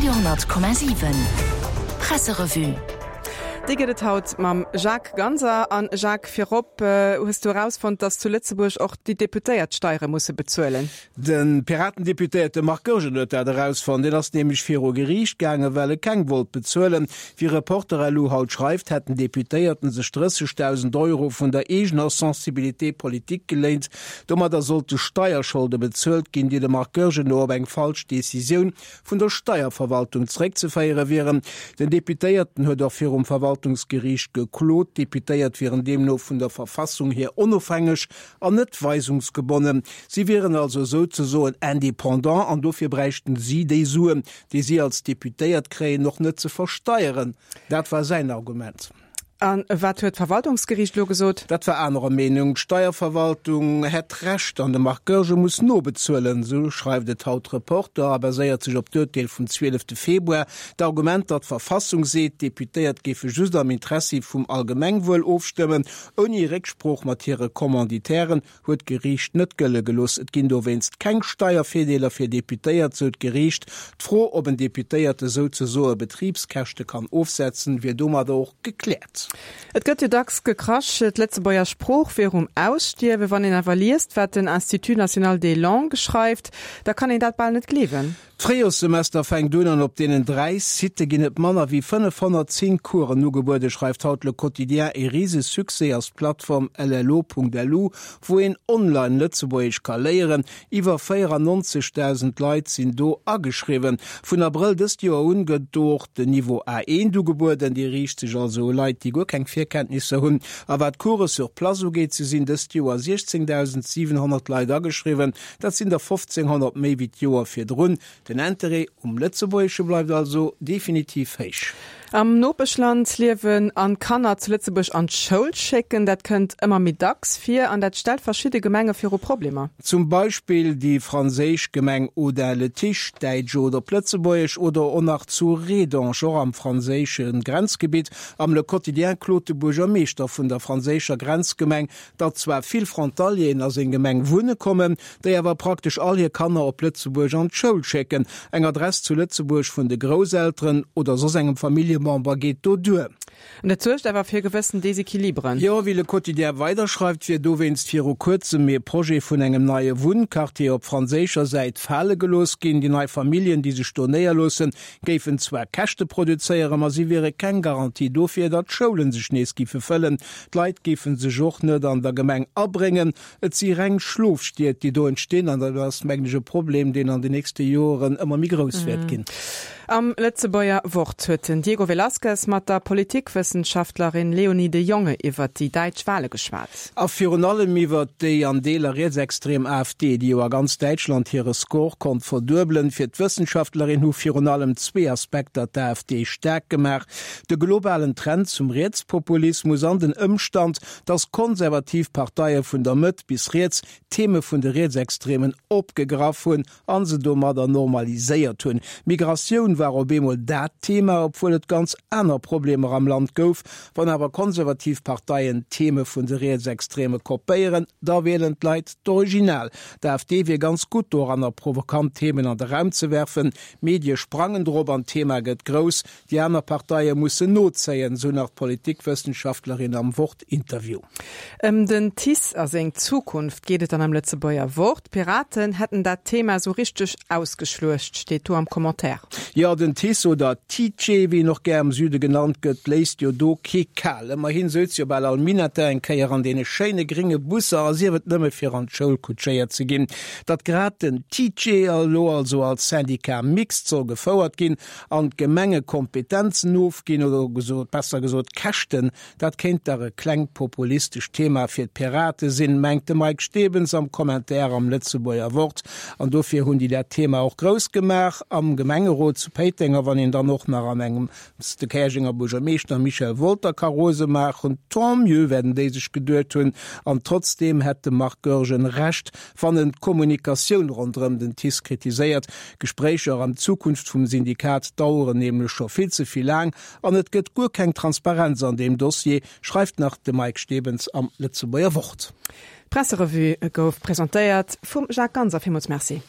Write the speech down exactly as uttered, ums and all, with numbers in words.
Radio honnert Komma siwen Presserevue. Déi gëtt et haut mam Jacques Ganser. An Jacques, virop, hues du erausfonnt, datt zu Lëtzebuerg och déi Deputéiert Steiere musse bezuelen? De Piraten-Deputéierte Marc Goergen huet dat erausfonnt. Deen ass nämlech viru Geriicht gaangen, well e keng wollt bezuelen. Wéi Reporter.lu haut schreift, hätt den Deputéierten sech drëssegdausend Euro vun der eegener Sensibilité politique geléint. Domadder sollte Steierscholde bezuelt ginn, déi dem Marc Goergen no op eng falsch Decisioun vun der Steierverwaltung zeréckzeféiere wieren. Den Deputéierten huet och virum Verwaltungsgeriicht geklot. D'Deputéiert wieren deemno vun der Verfassung hier onofhängeg an net weisungsgebonnen. Si wieren also souzesoen indépendant an dofir bräichten si déi Suen, déi si als Deputéiert kréien, och net ze versteieren. Dat war säin Argument. A wat huet d'Verwaltungsgeriicht elo gesot? Dat war anerer Meenung. D'Steierverwaltung hätt Recht an de Marc Goergen muss nobezuelen, esou schreift et haut Reporter a baséiert sech op d'Urteel vum zwielefte Februar. D'Argument, datt d'Verfassung seet, d'Deputéiert géife just am Interessi vum Allgemengwuel ofstëmmen, ouni Récksprooch mat hire Commanditairen, huet d'Geriicht net gëlle gelooss. Et ginn dowéinst keng Steiervirdeeler fir Deputéiert, sou d'Geriicht. D'Fro, ob en Deputéierte souzesoe Betribskäschte kann ofsetzen, wier domadder och gekläert. Et gëtt jo dacks gekrasch, d'Lëtzebuerger Sprooch wier um Ausstierwen. Wann een awer liest, wat den Institut national des langues schreift, da kann een dat bal net gleewen. D'Fréijorssemester fänkt un an op deenen dräi Sitte ginn et manner wéi fënnefhonnertzéng Coursen ugebueden, schreift haut Le Quotidien. E Risesuccès ass d'Plattform llo.lu, wou een online Lëtzebuergesch ka léieren. Iwwer véierannonzegdausend Leit sinn do ageschriwwen. Vun Abrëll dëst Joer un gëtt do och den Niveau A eent ugebueden. Dee riicht sech also u Leit, déi guer keng Virkenntnisser hunn. A wat d'Course sur place ugeet, sou sinn dëst Joer siechzéngdausendsiwenhonnert Leit ageschriwwen. Dat sinn der fofzénghonnert méi wéi d'Joer virdrun. Den Interêt um Lëtzebuergesche bleift also definitiv héich. Am Nopeschland liewen an Kanner zu Lëtzebuerg an d'Schoul schécken, dat kënnt ëmmer méi dacks vir an dat stellt verschidde Gemenge viru Problemer. Zum Beispill déi franséisch Gemeng Audun-le-Tiche, däitsch oder op Lëtzebuergesch, oder och nach zu Rédange, och am franséische Grenzgebitt. Am Le Quotidien klot de Buergermeeschter vun der franséischer Grenzgemeng, datt zwar vill Frontalieren a seng Gemeng wunne kommen, déi awer praktesch all hir Kanner op Lëtzebuerg an d'Schoul schécken. Eng Adress zu Lëtzebuerg vun de Grousselteren oder soss engem Familljemember geet do duer. An dat suergt awer fir gewëssen Desequilibren. Jo, wéi Le Quotidien weider schreift, wier dowéinst viru kuerzem ee Projet vun engem neie Wunnquartier op franséischer Säit fale gelooss ginn. Déi nei Familljen, déi sech do néierloossen, géifen zwar Käschte produzéieren, ma si wiere keng Garantie dofir, datt d'Schoulen sech nees géife fëllen. D'Leit géife sech och net an der Gemeng abréngen. Et si reng Schlofstied, déi do entstinn, an dat ass, mengen ech, e Problem, deen an den nächste Joren ëmmer méi grouss wäert ginn. Am Lëtzebuerger Wort huet den Diego Velázquez mat der Politikwëssenschaftlerin Léonie de Jonge iwwert déi däitsch Wale geschwat. A virun allem iwwert déi an Deeler rietsextrem AfD, déi jo a ganz Däitschland hire Score konnt verduebelen. Fir d'Wëssenschaftlerin hu virun allem zwee Aspekter d'AfD staark gemaach, de globalen Trend zum Rietspopulismus an den Ëmstand, datt konservativ Parteie vun der Mëtt bis riets d'Theme vun de Rietsextremen opgegraff hunn a se domadder normaliséiert hunn. Migratioun war op eemol dat Thema, obwuel et ganz aner Problemer am Land gouf. Wann awer konservativ Parteien d'Theme vun de Rietsextreme kopéieren, da wielen d'Leit d'Original. D'AfD wier ganz gutt doranner, provokant Themen an de Raum ze werfen. D'Medie sprangen drop an d'Thema gëtt grouss. Déi aner Parteie mussen nozéien, sou nach d'Politikwëssenschaftlerin am Wort-Interview. Ëm den TICE a seng Zukunft geet et dann am Lëtzebuerger Wort. D'Piraten hätten dat Thema sou richteg ausgeschluecht, steet do am Commentaire. Jo, den TICE oder TICE, wéi en och gär am Süde genannt gëtt, léisst jo do kee kal. Ëmmerhin souz jo bal all Minette eng Kéier an deene schéine gringe Busser, a sief et nëmme fir an d'Schoul kutschéiert ze ginn. Datt grad den TICE elo also als Syndicat mixte soll gefouert ginn an d'Gemenge Kompetenzen ofginn, oder gesot, besser gesot Käschten, dat kéint dach e klengt populistescht Thema fir d'Pirate sinn, mengt de Mike Stebens am Commentaire am Lëtzebuerger Wort. An dofir hunn déi dat Thema och grouss gemaach am Gemengerot zu Péiteng. A wann een dann och nach an engems de Käerjenger Buergermeeschter Michel Wolter ka rose maachen, tant mieux, wäerten déi sech geduet hunn. An trotzdeem hätt de Marc Goergen Recht, wann en d'Kommunikatioun ronderëm den TICE kritiséiert. Gespréicher ëm d'Zukunft vum Syndikat daueren nämlech scho vill ze vill laang an et gëtt guer keng Transparenz an deem Dossier, schreift nach de Mike Stebens am Lëtzebuerger Wort. D'Presserevue gouf presentéiert vum Jacques Ganser. Villmools Merci.